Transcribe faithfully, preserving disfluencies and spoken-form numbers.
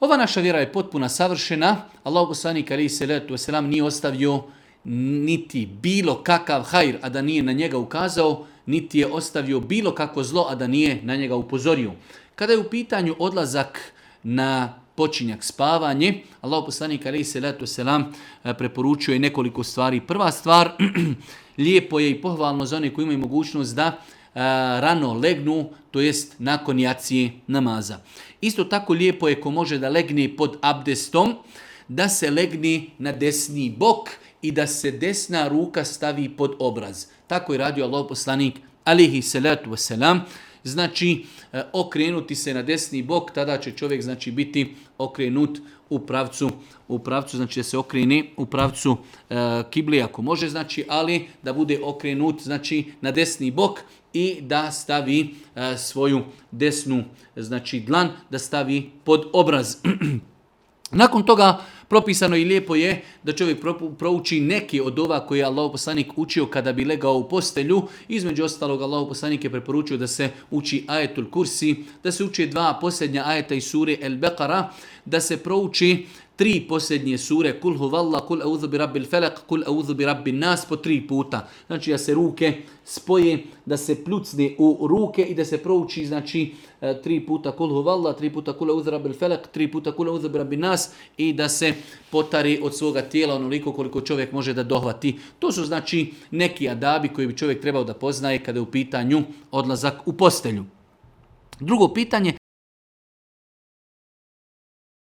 Ova naša vjera je potpuna savršena. Allahu poslanik alejhi selatu vesselam nije ostavio niti bilo kakav hajr, a da nije na njega ukazao, niti je ostavio bilo kakvo zlo, a da nije na njega upozorio. Kada je u pitanju odlazak na počinjak spavanje, Allahu poslanik alejhi selatu vesselam preporučuje nekoliko stvari. Prva stvar, lijepo je i pohvalno za one koji imaju mogućnost da rano legnu, to jest nakon jacije namaza. Isto tako lijepo je ko može da legne pod abdestom, da se legne na desni bok i da se desna ruka stavi pod obraz. Tako je radio Allahov poslanik alejhi selatu vesselam. Znači, okrenuti se na desni bok, tada će čovjek znači biti okrenut u pravcu, u pravcu znači da se okrene u pravcu e, kibli ako može, znači, ali da bude okrenut znači na desni bok i da stavi e, svoju desnu znači dlan, da stavi pod obraz. Nakon toga propisano i lijepo je da čovjek prouči neki od ova koje je Allahov poslanik učio kada bi legao u postelju. Između ostalog, Allahov poslanik je preporučio da se uči ajetul kursi, da se uči dva posljednja ajeta iz sure El Beqara, da se prouči tri posljednje sure, kul huvalla, kul audhu bi rabbil felak, kul audhu bi rabbin nas, po tri puta. Znači da se ruke spoje, da se pljucne u ruke i da se prouči znači tri puta kul huvalla, tri puta kul audhu rabbil felak, tri puta kul audhu bi rabbin nas i da se potari od svoga tijela onoliko koliko čovjek može da dohvati. To su znači neki adabi koji bi čovjek trebao da poznaje kada je u pitanju odlazak u postelju. Drugo pitanje,